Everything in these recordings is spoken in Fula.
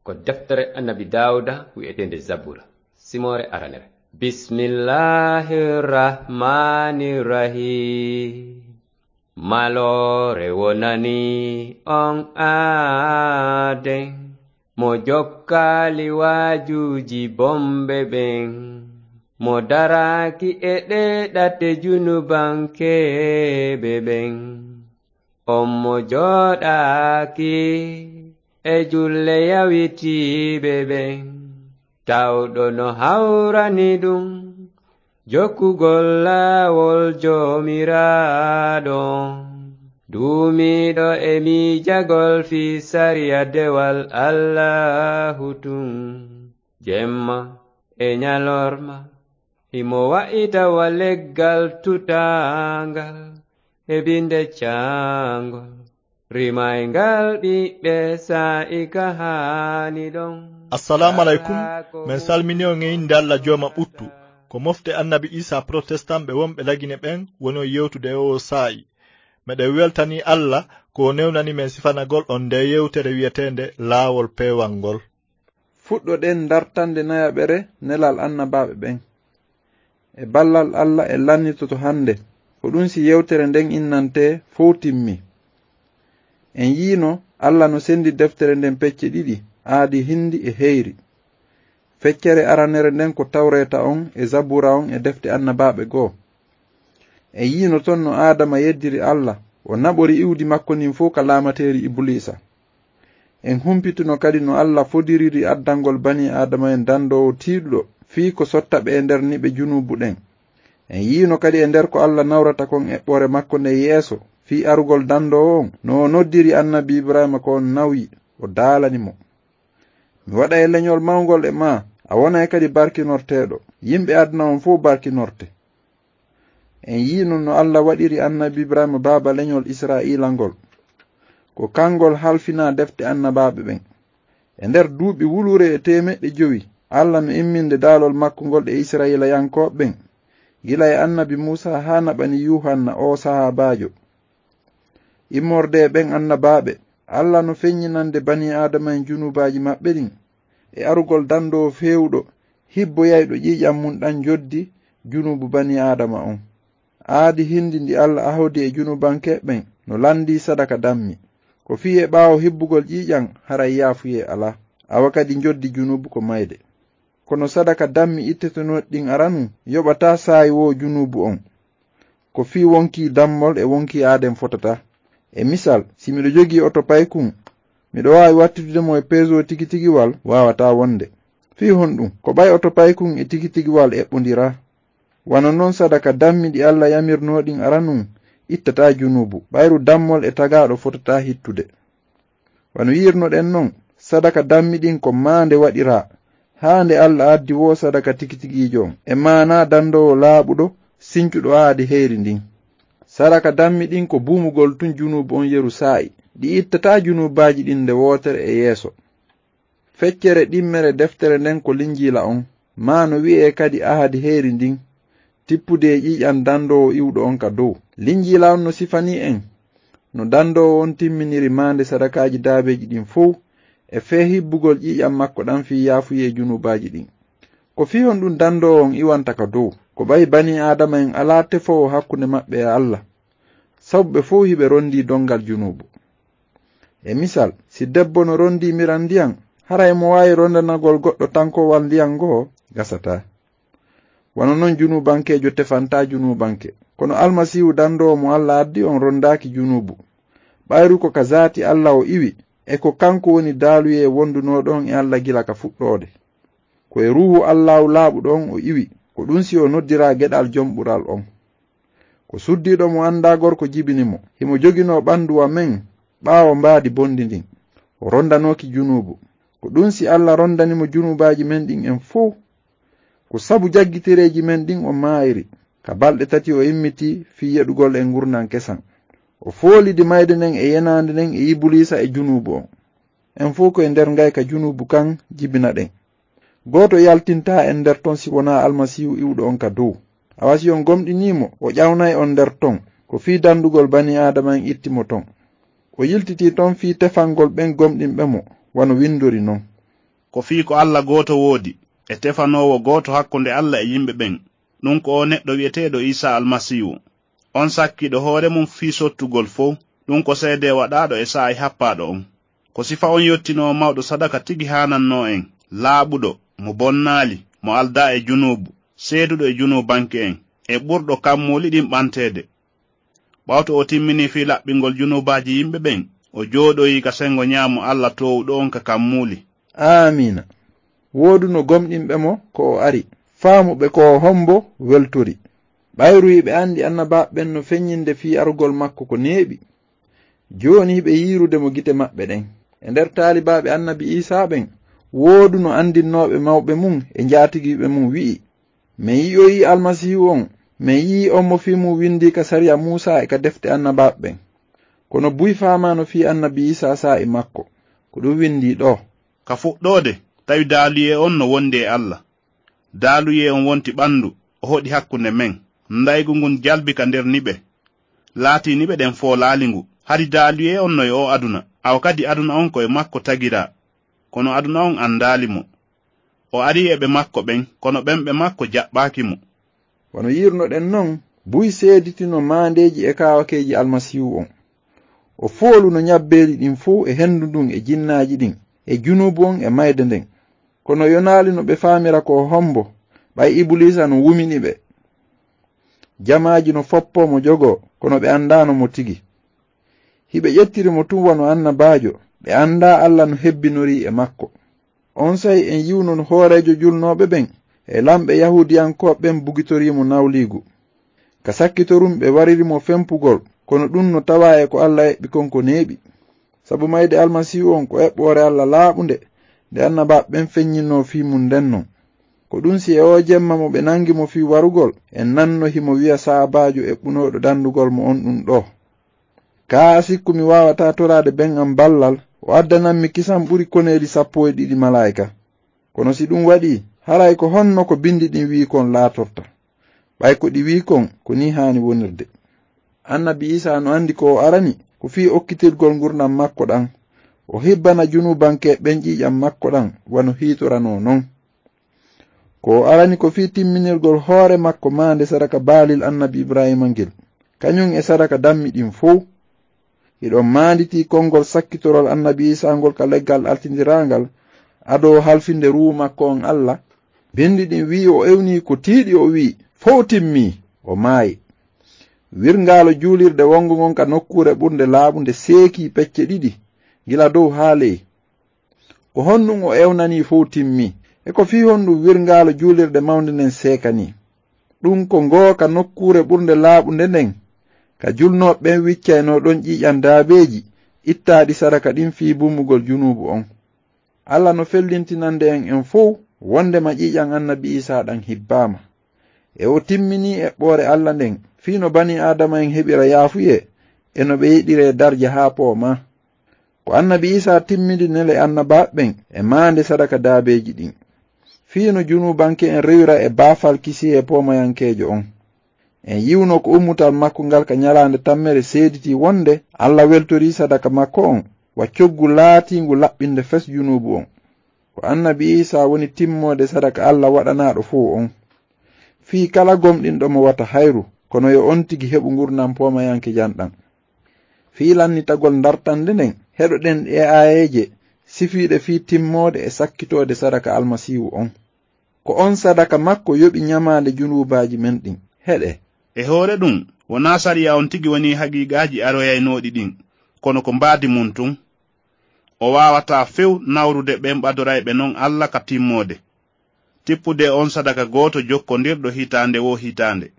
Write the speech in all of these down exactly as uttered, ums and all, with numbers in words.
Ko deftere Annabi Daawuda wi'eteende Zabura, simoore aranere. Bismillahir Rahmanir Rahim. Maloore wonani on aaden, mo jokkaali waajuuji bonɓe ɓen, mo daraaki e ɗee ɗate junubankeeɓe ɓen. On mo jooɗaaki e julle yawitiiɓe ɓen, tawɗo no hawrani ɗum jokkugol laawol Joomiraaɗo on, duumiiɗo e miijagol fii sariya dewal Allaahu tun, jemma e ɲalorma. Himo wa'ita wa leggal tutaangal e binde caangol, rimayngal ɓiɓɓe saa'i ka haani ɗon. Assalaamu aleykum. Men salmini on e innde Alla Jooma ɓuttu. Ko mofte Annabi Iisaa Protestant ɓe wonɓe Lagine ɓen woni on yewtude e oo saa'i. Meɗen weltanii Alla ko o newnani men sifanagol on ndee yewtere wi'eteende Laawol Peewal ngol. Fuɗɗoɗen dartande nayaɓere nelal annabaaɓe ɓen. E ballal Alla en lannitoto hannde, ko ɗun si yewtere nden innantee fow timmi. En yiino Alla no senndi deftere nden pecce ɗiɗi, aadi, hindi e heyri. Feccere aranere nden ko Tawreeta on e Zabuura on e defte annabaaɓe goo. En yiino ton no Aadama yeddiri Alla, o naɓori iwdi makko ndin fow ka laamateeri Ibuliisa. En humpitino kadi no Alla fodiriri addangol banii Aadama'en dandoowo tiiɗuɗo fii ko sotta ɓe e nder niɓe junuubu ɗen. En yiino kadi e nder ko Alla nawrata kon eɓɓoore makko nden yeeso fii arugol dandoowo on, no o noddiri Annabi Ibrahiima ko on nawyi, o daalani mo. Mi waɗay leɲol mawngol e maa, a wonay kadi barkinorteeɗo. Yimɓe aduna on fow barkinorte. En yiino no Alla waɗiri Annabi Ibrahiima baaba leɲol Israa'iila ngol. Ko kangol halfinaa defte annabaaɓe ɓen. E nder duuɓi wuluure e teemeɗɗe jowi, Alla no imminde daalol makko ngol e Israa'iilayankooɓe ɓen, gila e Annabi Muusaa haa naɓani Yuuhanna oo sahaabaajo. Immorde e ɓen annabaaɓe, Alla no feɲɲinande banii Aadama'en junuubaaji maɓɓe ɗin, e arugol dandoowo feewuɗo, hibboyayɗo ƴiiƴan mun ɗan joddi junuubu banii Aadama on. Aadi hindi ndi Alla ahodi e junuubankeeɓe ɓen no lanndii sadaka dammi. Ko fii e ɓaawo hibbugol ƴiiƴan, haray yaafuyee alaa. Awa kadi joddi junuubu ko mayde. Kono sadaka dammi ittetenooɗi ɗin aranun yoɓataa saayi woo junuubu on. Ko fii wonkii dammol e wonkii aaden fotataa. E misal, si miɗo jogii oto paykun, miɗo waawi wattidude mo e peesoo tigitigiwal? Waawataa wonde. Fii honɗun? Ko ɓay oto paykun e tigitigiwal eɓɓondiraa. Wano non, sadaka dammi ɗi Alla yamirnoo ɗin aranun ittataa junuubu, ɓayru dammol e tagaaɗo fotataa hittude. Wano yi'irnoɗen non, sadaka dammi ɗin ko maande waɗiraa, haa nde Alla addi woo sadaka tigitigiijo on, e maanaa dandoowo laaɓuɗo, sincuɗo aadi heyri ndin. Sadaka dammi ɗin ko buumugol tun junuubu on yeru saa'i, ɗi ittataa junuubaaji ɗin nde wootere e yeeso. Feccere ɗimmere deftere nden ko Linjiila on, maa no wi'ee kadi Ahadi heyri ndin, tippude e ƴiiƴan dandoowo iwɗo on ka dow. Linjiila on no sifanii en no dandoowo on timminiri maande sadakaaji daabeeji ɗin fow, e fee hibbugol ƴiiƴan makko ɗan fii yaafuyee junuubaaji ɗin. Ko fii honɗun dandoowo on iwanta ka dow? Ko ɓay banii Aadama'en alaa tefoowo hakkunde maɓɓe e Alla, sabu ɓe fow hiɓe rondii dongal junuubu. E misal, si debbo no rondii miran ndiyan, haray mo waawi rondanagol goɗɗo tankowal ndiyan ngoo? Gasataa. Wano non, junuubankeejo tefantaa junuubanke. Kono Almasiihu dandoowo mo Alla addi on rondaaki junuubu. Ɓayru ko ka zaati Alla o iwi, e ko kanko woni daaluyee wondunooɗo on e Alla gila ka fuɗɗoode. Ko e Ruuhu Allaahu laaɓuɗo on o iwi, ko ɗun si o noddiraa geɗal Jom Ɓural on. Ko suddiiɗo mo anndaa gorko jibini mo. Himo joginoo ɓandu wa men ɓaawo mbaadi bonndi ndin. O rondanooki junuubu. Ko ɗun si Alla rondani mo junuubaaji men ɗin en fow. Ko sabu jaggitereeji men ɗin o maayiri. Ka balɗe tati o immitii fii yeɗugol en ngurndan kesan. O foolidi mayde nden e yenaande nden e Ibuliisa e junuubu on. En fow ko e nder ngayka junuubu kan jibinaɗen. Gooto yaltintaa en nder ton si wonaa Almasiihu iwɗo on ka dow. Awa si on gomɗinii mo, o ƴawnay on nder ton. Ko fii dandugol banii Aadama'en itti mo ton. O yiltitii ton fii tefangol ɓen gomɗinɓe mo, wano windori non. Ko fii ko Alla gooto woodi, e tefanoowo gooto hakkunde Alla e yimɓe ɓen, ɗun ko oo neɗɗo wi'eteeɗo Iisaa Almasiihu. On sakkiiɗo hoore mun fii sottugol fow, ɗun ko seedee waɗaaɗo e saa'i happaaɗo on. Ko sifa on yottinoowo mawɗo sadaka tigi haanannoo en, laaɓuɗo, mo bonnaali, mo aldaa e junuubu, seeduɗo e junuubanke'en, e ɓurɗo kammuuli ɗin ɓanteede. Ɓawto o timminii fii laɓɓingol junuubaaji yimɓe ɓen, o jooɗoyii ka senngo ɲaamo Alla Toowuɗo on ka kammuuli. Aamiina. Wooduno gomɗinɓe mo ko o ari, faamuɓe ko o hombo weltori. Ɓayru hiɓe anndi annabaaɓe ɓen no feɲɲinde fii arugol makko ko neeɓi. Jooni hiɓe yiirude mo gite maɓɓe ɗen. E nder taalibaaɓe annabi Iisaa ɓen, wooduno anndinnooɓe mawɓe mun e njaatigiiɓe mun wi'i, "Men yi'oyii Almasiihu on, men yi'ii on mo fii mun windii ka sariya Muusaa e ka defte annabaaɓe ɓen. Kono buy faamaano fii annabi Iisaa saa'i makko. Ko ɗun windii ɗoo." Ka fuɗɗoode, tawi daaluyee on no wondi e Alla. Daaluyee on wonti ɓandu, o hoɗi hakkunde men. Ndaygu ngun jalbi ka nder niɓe. Laatii niɓe ɗen foolaali ngu. Hari daaluyee on no e oo aduna, awa kadi aduna on ko e makko tagiraa. Kono aduna on andaali mo. O arii e ɓe makko ɓen, kono ɓen ɓe makko jaɓɓaaki mo. Wano yi'irnoɗen non, buy seeditino maandeeji e kaawakeeji Almasiihu on. O fooluno ɲabbeeli ɗin fow e hendu ndun e jinnaaji ɗin, e junuubu on e mayde nden. Kono yonaali no ɓe faamira ko o hombo, ɓay Ibuliisa no wumini ɓe. Jamaaji no foppoo mo jogoo, kono ɓe andaano mo tigi. Hiɓe ƴettiri mo tun wano annabaajo, ɓe andaa Alla no hebbinorii e makko. Onsay en yi'uno no hooreejo julnooɓe ɓen e lamɓe Yahuudiyankooɓe ɓen bugitorii mo nawliigu. Ka sakkitorun ɓe wariri mo fempugol, kono ɗun no tawaa e ko Alla eɓɓi kon ko neeɓi. Sabu mayde Almasiihu on ko eɓɓoore Alla laaɓunde, nde annabaaɓe ɓen feɲɲinnoo fii mun nden non. Ko ɗun si e oo jemma mo ɓe nangi mo fii warugol, en nanno himo wi'a sahaabaajo eɓɓunooɗo dandugol mo on ɗun ɗoo. Kaa a sikku mi waawataa toraade ben an ballal, o addanammi kisan ɓuri koneeli sappo e ɗiɗi malaa'ika. Kono si ɗun waɗii, haray ko honno ko bindi ɗin wi'i kon laatorta? Ɓay ko ɗi wi'i kon, ko nii haani wonirde. Annabi Iisaa no andi ko o arani, ko fii okkitirgol ngurndan makko ɗan. O hibbana junuubanke ɓen ƴiiƴan makko ɗan, wano hiitoranoo non. Ko o arani ko fii timminirgol hoore makko maande sadaka baalil annabi Ibraahiima ngel, kaɲun e sadaka dammi ɗin fow. Hiɗon maanditii konngol sakkitorol annabi Iisaa ngol ka leggal altindiraangal, adoo halfinde ruuhu makko on Alla. Bindi ɗin wi'i o ewnii ko tiiɗi o wi'i, "Fow timmii," o maayi. Wirngaalo juulirde wonngo ngon ka nokkuure ɓurnde laaɓunde seekii pecce ɗiɗi, gila dow haa ley. Ko honɗun o ewnanii fow timmii? E ko fii honɗun wirngaalo juulirde mawnde nden seekanii? Ɗun ko ngoo ka nokkuure ɓurnde laaɓunde nden, ka julnooɓe ɓen wiccaynoo ɗon ƴiiƴan daabeeji ittaaɗi sadaka ɗin fii buumugol junuubu on. Alla no fellintinande en en fow wondema ƴiiƴan annabi Iisaa ɗan hibbaama. E o timminii eɓɓoore Alla nden, fii no banii Aadama en heɓira yaafuyee, e no ɓe yeɗiree darja haa poomaa. Ko annabi Iisaa timmidi nele annabaaɓe ɓen e maande sadaka daabeeji ɗin, fii no junuubanke en rewira e baafal kisiyee poomayankeejo on. En yi'uno ko ummutal makko ngal ka ɲalaande tammere seeditii wonde Alla weltorii sadaka makko on wa coggu laatiingu laɓɓinde fes junuubu on. Ko annabi Iisaa woni timmoode sadaka Alla waɗanaaɗo fow on. Fii kala gomɗinɗo mo wata hayru, kono yo on tigi heɓu ngurndan poomayankejan ɗan. Fii lannitagol dartannde nden, heɗoɗen ɗee aayeeje sifiiɗe fii timmoode e sakkitoode sadaka Almasiihu on. Ko on sadaka makko yoɓi ɲamaande junuubaaji men ɗin. Heɗee. E hoore ɗun, wonaa sariya on tigi woni haqiiqaaji aroyaynooɗi ɗin, kono ko mbaadi mun tun. O waawataa few nawrude ɓen ɓadorayɓe non Alla ka timmoode, tippude on sadaka gooto jokkondirɗo hitaande woo hitaande.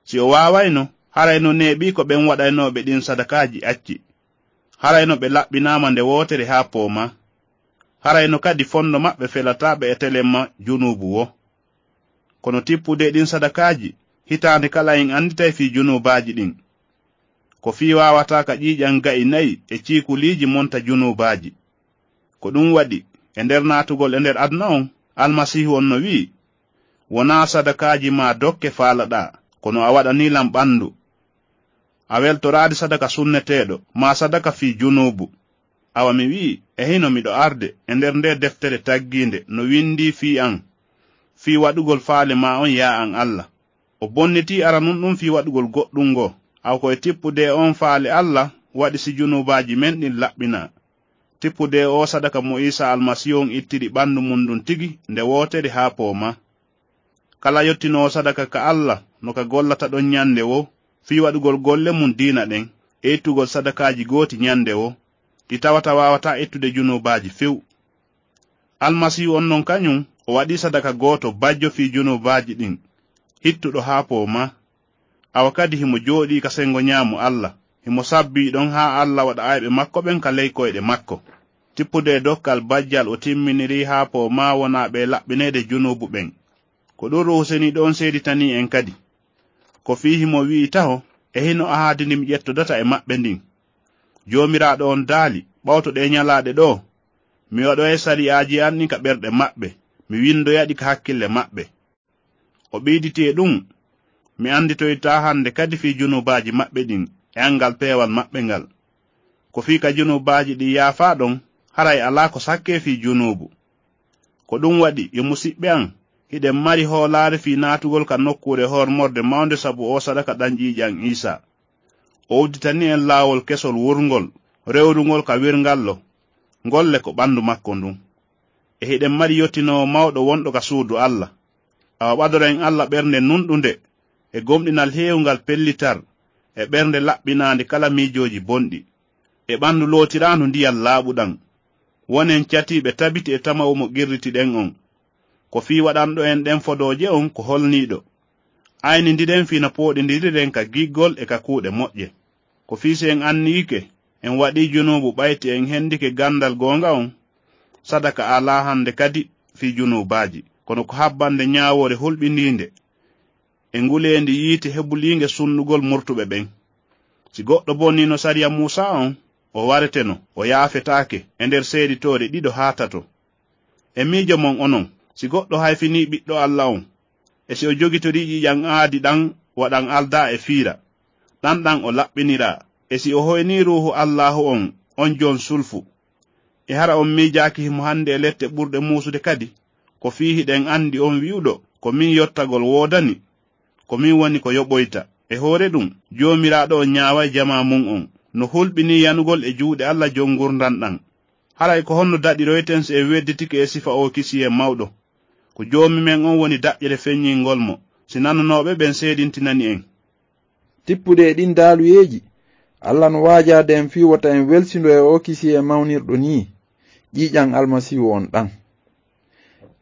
Si o waawayno, haray no neeɓii ko ɓen waɗaynooɓe ɗin sadakaaji acci. Haray no ɓe laɓɓinaama nde wootere haa poomaa. Haray no kadi fondo maɓɓe felataa ɓe e telemma junuubu woo. Kono tippude ɗin sadakaaji, hitaande kala en anditay fii junuubaaji ɗin. Ko fii waawataa ka ƴiiƴan ga'i nayi e ciikuliiji monta junuubaaji. Ko ɗun waɗi, e nder naatugol e nder aduna on, Almasiihu on no wi'i, "Wonaa sadakaaji maa dokke faalaɗaa, kono a waɗanii lan ɓandu. A weltoraali sadaka sunneteeɗo, maa sadaka fii junuubu." Awa mi wi'i, E hino miɗo arde e nder nde deftere taggiinde no winndii fii an, fii waɗugol faale maa on, yaa an Alla. O bonnitii aranun ɗun fii waɗugol goɗɗun ngoo, awa ko e tippude e on faale Alla waɗi si junuubaaji men ɗin laɓɓinaa. Tippude e oo sadaka mo Iisaa Almasiihu on ittiri ɓanndu mun ndun tigi nde wootere haa poomaa. Kala yottinoowo sadaka ka Alla no ka gollata ɗon ɲande woo, fii waɗugol golle mun diina ɗen, e ittugol sadakaaji gooti ɲande woo, ɗi tawata waawataa ittude junuubaaji few. Almasiihu on non kaɲun, o waɗii sadaka gooto bajjo fii junuubaaji ɗin, hittuɗo haa poomaa. Awa kadi himo jooɗii ka senngo ɲaamo Alla, himo sabbii ɗon haa Alla waɗa ayɓe makko ɓen ka ley koyɗe makko. Tippude e dokkal bajjal o timminirii haa poomaa wonaa ɓe laɓɓineede junuubu ɓen. Ko ɗun Ruuhu Seniiɗo on seeditanii en kadi. Ko fii himo wi'i taho, e hino ahaadi ndi mi ƴettodata e maɓɓe ndin. Joomiraaɗo on daali, ɓawto ɗee ɲalaaɗe ɗoo, mi waɗoyay sariyaaji an ɗin ka ɓerɗe maɓɓe, mi winndoya ɗi ka hakkille maɓɓe. O ɓeyditi e ɗun, mi annditoytaa hande kadi fii junuubaaji maɓɓe ɗin e anngal peewal maɓɓe ngal. Ko fii ka junuubaaji ɗin yaafaa ɗon, haray alaa ko sakkee fii junuubu. Ko ɗun waɗi, yo musiɓɓe an, hiɗen mari hoolaare fii naatugol ka nokkuure hormorde mawnde sabu oo sadaka ɗan ƴiiƴan Iisaa. O udditanii en laawol kesol wurngol, rewrungol ka wirngallo, ngol le ko ɓanndu makko ndun. E hiɗen mari yottinoowo mawɗo wonɗo ka suudu Alla. Awa ɓadoren Alla ɓernde nunɗunde, e gomɗinal heewungal pellital, e ɓernde laɓɓinaande kala miijooji bonɗi, e ɓanndu lootiraandu ndiyan laaɓuɗan. Wonen catiiɓe tabiti e tama'u mo qirritiɗen on. Ko fii waɗanɗo en ɗen fodooje on ko holniiɗo. Aynindiren fii no pooɗindiriren ka giggol e ka kuuɗe moƴƴe. Ko fii si en anniyike, en waɗii junuubu ɓay si en hendike ganndal goonga on, sadaka alaa hande kadi fii junuubaaji, kono ko habbande ɲaawoore hulɓindiinde e nguleendi yiite hebuliinde sunnugol murtuɓe ɓen. Si goɗɗo bonniino sariya Muusaa on, o wareteno, o yaafetaake e nder seeditoore ɗiɗo haa tato. E miijo mon onon, si goɗɗo hayfinii Ɓiɗɗo Alla on, e si o jogitorii ƴiiƴan aadi ɗan wa ɗan aldaa e fiira, ɗan ɗan o laɓɓiniraa, e si o hoynii Ruuhu Allaahu on, on jon sulfu, e hara on miijaaki himo hande e lette ɓurɗe muusude kadi, ko fii hiɗen andi on wi'uɗo, ko min yottagol woodani, ko min woni ko yoɓoyta. E hoore ɗun, Joomiraaɗo on ɲaaway jamaa mun on, no hulɓinii yanugol e juuɗe Alla jon ngurndan ɗan. Haray ko honno daɗiroyten si en wedditike e sifa oo kisiyee mawɗo? Ko Joomi men on woni daƴƴere feɲɲingol mo, si nanunooɓe ɓen seedintinani en. Tippude e ɗin daaluyeeji, Alla no waajaade en fii wota en welsindo e oo kisiyee mawnirɗo nii, ƴiiƴan Almasiihu on ɗan.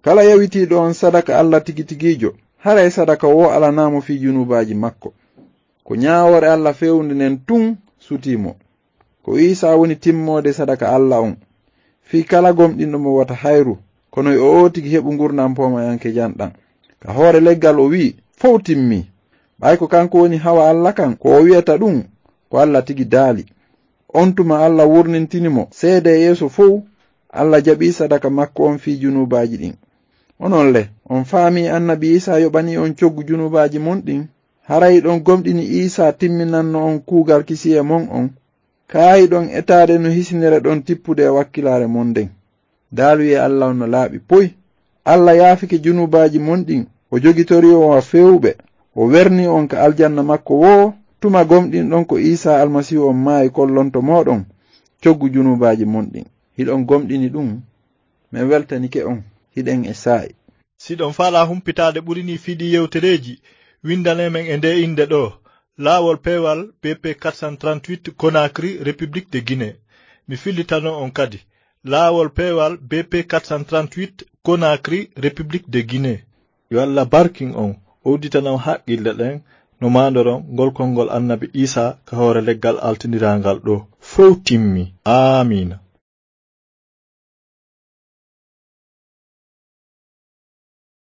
Kala yawitiiɗo on sadaka Alla tigi tigiijo, haray sadaka woo alanaa mo fii junuubaaji makko. Ko ɲaawoore Alla feewunde nden tun sutii mo. Ko Iisaa woni timmoode sadaka Alla on. Fii kala gomɗinɗo mo wota hayru, kono yo oo tigi heɓu ngurndan poomayankejan ɗan. Ka hoore leggal o wi'i, "Fow timmii." Ɓay ko kanko woni hawa Alla kan, ko o wi'ata ɗun, ko Alla tigi daali. On tuma Alla wurnintini mo seede e yeeso fow, Alla jaɓii sadaka makko on fii junuubaaji ɗin. Onon le, on faamii Annabi Iisaa yoɓanii on coggu junuubaaji mon ɗin? Haray hiɗon gomɗini Iisaa timminanno on kuugal kisiyee mon on? Kaa hiɗon etaade no hisinere ɗon tippude e wakkilaare mon nden? Daaluyee Alla on no laaɓi poy. Alla yaafike junuubaaji mon ɗin, o jogitorii on wa feewuɓe, o wernii on ka aljanna makko woo, tuma gomɗinɗon ko Iisaa Almasiihu on maayi kollonto mooɗon coggu junuubaaji mon ɗin. Hiɗon gomɗini ɗun? Men weltanike on, hiɗen e saa'i. Si ɗon faalaa humpitaade ɓuri nii fii ɗii yewtereeji, winndanee men e ndee innde ɗoo, Laawol Peewal B P quatre cent trente-huit, Conakry, République de Guinée. Mi fillitano on kadi, Laawol Peewal B P quatre cent trente-huit, Conakry, République de Guinée. Yo Alla barkin on, o udditana on haqqille ɗen no maandoron ngol konngol Annabi Iisaa ka hoore leggal altindiraangal ɗoo. Fow timmi. Aamiina.